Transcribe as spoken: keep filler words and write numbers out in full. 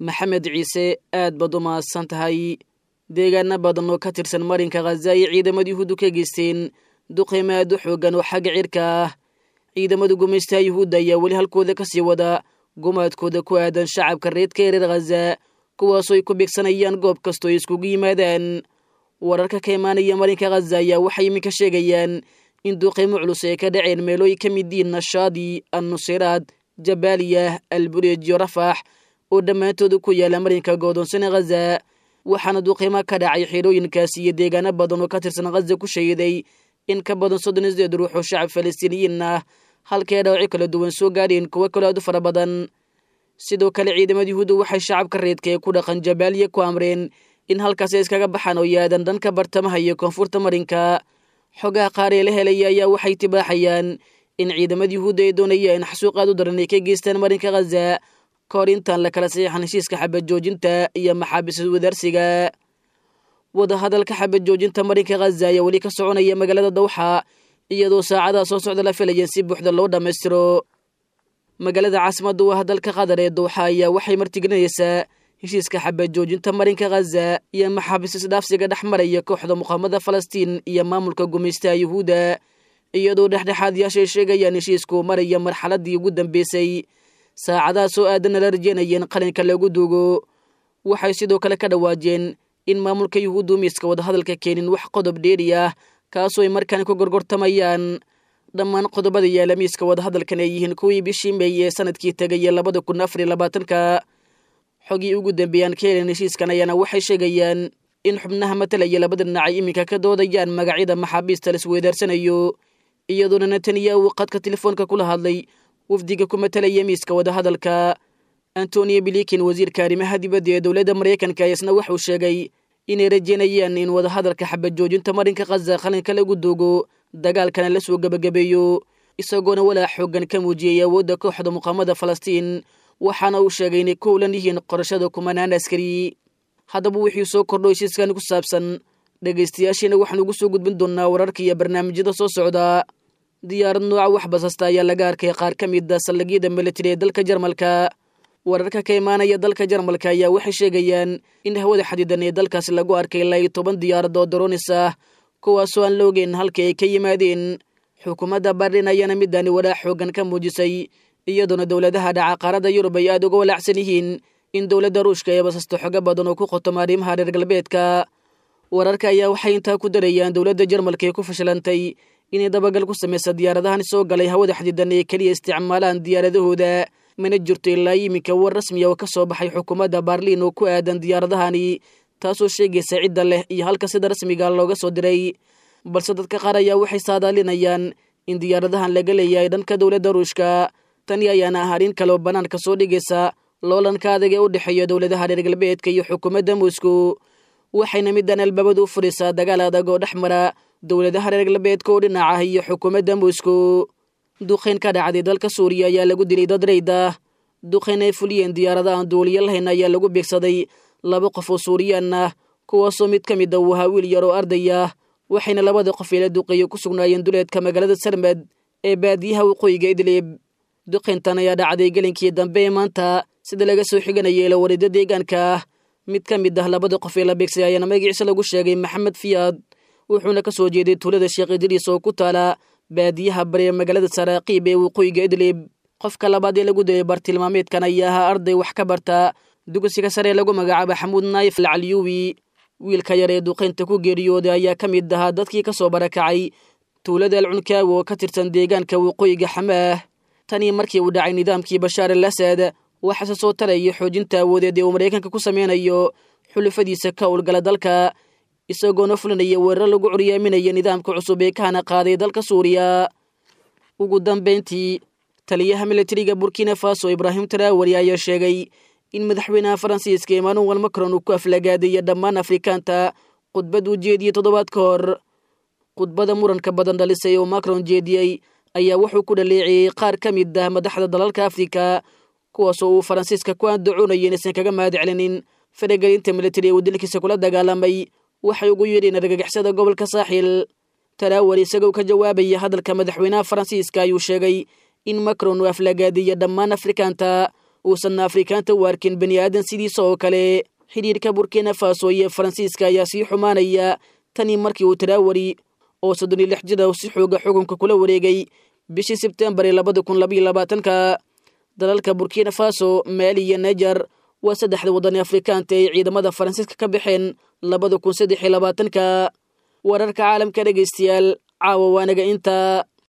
Maxamed Ciise, aad baad u mahadsan tahay. Deegaano badan oo ka tirsan marinka Khaza ay ciidamada Yuhuuddu ka geysteen duqeymo aad u xooggan oo xagga cirka ah. Ciidamada gumaystaha Yuhuudda ayaa weli halkooda ka sii wada gumaadkooda ku aadan shacabka reedka ee reer Khaza, kuwaasoo ay ku beegsanayaan goob kastoo ay iskugu yimaadaan. Wararka ka imaanaya marinka Khaza ayaa waxay iminka sheegayaan in duqeymo culus ay ka dhaceen meelo ay ka mid yihiin Nashaadi, Annusiraad, Jabaaliya, Albureej iyo Rafax oo dhammaantooda ku yaala marinka goodoonsana Khaza. Waxaana duqeymo ka dhacay xerooyinkaasi iyo deegaano badan oo ka tirsan Khaza ku shahiday in ka badan soddon iyo sideed ruux oo shacab Falastiiniyiin ah, halkii ay dhaawacyo kala duwan soo gaadheen kuwo kaloo aad u fara badan. Sidoo kale ciidamada Yuhuudda waxay shacabka reedka ee ku dhaqan Jabaaliya ku amreen in halkaas ay iskaga baxaan oo yaadan dhanka bartamaha iyo koonfurta marinka. Xogaha qaar ee la helaya ayaa waxay tibaaxayaan in ciidamada Yuhuudda ay doonayaan xasuuq aad u daran ay ka geystaan marinka Khaza kahor intaan la kala saxiixan heshiiska xabad joojinta iyo maxaabiis wadaarsiga. Wadahadalka xabad joojinta marinka Khaza ayaa weli ka soconaya magaalada Dawxa, iyadoo saacadaha soo socda la filaya in si buuxda loo dhammaystiro. Magaalada caasimadda u ah dalka Qatar ee Dawxa ayaa waxay martigelinaysaa heshiiska xabad joojinta marinka Khaza iyo maxaabiis isdhaafsiga dhex maraya kooxda muqaamada Falastiin iyo maamulka gumaystaha Yuhuudda, iyadoo dhexdhexaadyaasha ay sheegayaan heshiisku maraya marxaladii ugu dambeysay, saacadaha soo aadanna la rajeynayeen qalinka lagu duugo. Waxay sidoo kale ka dhawaajeen in maamulka Yuhuuddu miiska wadahadalka keenin wax qodob dheeri ah kaasoo ay markaan ku gorgortamayaan. Dhammaan qodobada yaala miiska wadahadalkan ay yihiin kuwii bishii Meey ee sanadkii tegaya labada kun afar iyo labaatanka. Xogii ugu dambeeyaan ka helen heshiiskan ayaana waxay sheegayaan in xubnaha matalaya labada dhinac ay iminka ka doodayaan magacyada maxaabiista la isweydaarsanayo, iyadoona Netanyahu qadka telefoonka kula hadlay wafdiga ku matalaya miiska wadahadalka. Antonio Blinken, wasiirka arrimaha dibadda ee dowladda Maraykanka, isna wuxuu sheegay inay rajeynayaan in wadahadalka xabad joojinta marinka Khaza qalinka lagu duugo, dagaalkana la soo gebagabeeyo, isagoona walaac xooggan ka muujiyey awoodda kooxda muqaamada Falastiin, waxaana uu sheegay inay ku howlan yihiin qorashada kumanaan askari. Haddaba wixii soo kordho heshiiskan ku saabsan, dhegaystayaashiina waxaan ugu soo gudbin doonaa wararka iyo barnaamijyada soo socda. Diyaarad nooca wax basasta ayaa laga arkay qaar ka mid ah saldhigyada militari ee dalka Jarmalka. Wararka ka imaanaya dalka Jarmalka ayaa waxay sheegayaan in hawada xadidan ee dalkaasi lagu arkay ilaa iyo toban diyaarad oo droonis ah, kuwaasoo aan la ogeyn halkii ay ka yimaadeen. Xukuumadda Berlin ayaana midani walaac xooggan ka muujisay, iyadoona dowladaha dhaca qaaradda Yurub ay aad uga walaacsan yihiin in dowladda Ruushka ay basasto xogo badan oo ku qotoma arrimaha reer galbeedka. Wararka ayaa waxay intaa ku darayaan dowladda Jarmalka ee ku fashilantay inay dabagal ku samaysa diyaaradahan soo galay hawada xadidan ee keliya isticmaalaan diyaaradahooda. Mana jirto ilaa iminka war rasmiya oo ka soo baxay xukuumadda Berlin oo ku aadan diyaaradahani, taasoo sheegaysa cidda leh iyo halka sida rasmiga looga soo diray. Balse dadka qaar ayaa waxay saadaalinayaan in diyaaradahan laga leeyahay dhanka dowladda Ruushka. Tani ayaana ah arrin kaloo bannaanka soo dhigaysa loolanka adag ee u dhexeeya dowladaha reer galbeedka iyo xukuumadda Moscow, waxayna middan albaabadu u furaysaa dagaal adag oo dhex mara dowladaha reer galbeedka oo dhinac ah iyo xukuumadda Moscow. Duqeyn ka dhacday dalka Suuriya ayaa lagu dilay dad reyd ah. Duqeyn ay fuliyeen diyaarada aan duuliyo lahayn ayaa lagu beegsaday laba qof oo Suuriyaan ah, kuwaasoo mid ka mid ah uu ahaa wiil yar oo arday ah, waxayna labada qof ee la duqeeyey ku sugnaayeen duleedka magaalada Sarmed ee baadiyaha waqooyiga Idlib. Duqeyntan ayaa dhacday gelinkii dambe ee maanta, sida laga soo xiganayay ilawareedda deegaanka ah. Mid ka mid ah labada qof ee la beegsay ayaana magaciisa lagu sheegay Maxamed Fiyaad, wuxuuna ka soo jeeday tuulada Sheekh Idriis oo ku taala baadiyaha bari ee magaalada Saraaqiib ee waqooyiga Idlib. Qofka labaad ee lagu dilay bartilmaameedkan ayaa ahaa arday wax ka barta dugsiga sare ee lagu magacaabo Xamuud Naayif Alcaliyuwi. Wiilka yar ee duqeynta ku geeriyooday ayaa ka mid ahaa dadkii ka soo barakacay tuulada Alcunkaawi oo ka tirsan deegaanka waqooyiga Xamaah. Tanii markii uu dhacay nidaamkii Bashaar al Asad, waxaase soo tarayay xoojinta awoodeed ee uu Maraykanka ku sameynayo xulufadiisa ka howlgala dalka, isagoona fulinaya weerar lagu curyaaminaya nidaamka cusub ee kahana qaaday dalka Suuriya. Ugu dambeyntii, taliyaha militariga Burkina Faso Ibraahim Traore ayaa sheegay in madaxweynaha Faransiiska Emmanuel Macron uu ku aflagaadaya dhammaan Afrikaanta khudbad uu jeediyey toddobaad ka hor. Khudbada muranka badan dhalisay oo Macron jeediyey ayaa wuxuu ku dhaleeceeyey qaar ka mid ah madaxda dalalka Afrika, kuwaasoo uu Faransiiska ku andacoonaya inaysan kaga mahad celinin faragelinta militari ee uu dalkiisa kula dagaalamay waxay ugu yeedheen argagixisada gobolka Saaxil. Traore isagoo ka jawaabaya hadalka madaxweynaha Faransiiska ayuu sheegay in Macron uu aflagaadiya dhammaan Afrikaanta, Uusanna Afrikaanta u arkin bani aadan sidiisa oo kale. Xidhiirka Burkina Faso iyo Faransiiska ayaa sii xumaanaya tanii markii uu Taraawari oo soddon iyo lix jir ah si xooga xukunka kula wareegay bishii Sebtembar ee labada kun labaiyo labaatanka. Dalalka Burkina Faso, Maali iyo Niger waa saddexda waddan ee Afrikaanta ay ciidamada Faransiiska ka baxeen labada kun saddex iyo labaatanka. Wararka caalamka dhegaystayaal caawa waanaga intaa.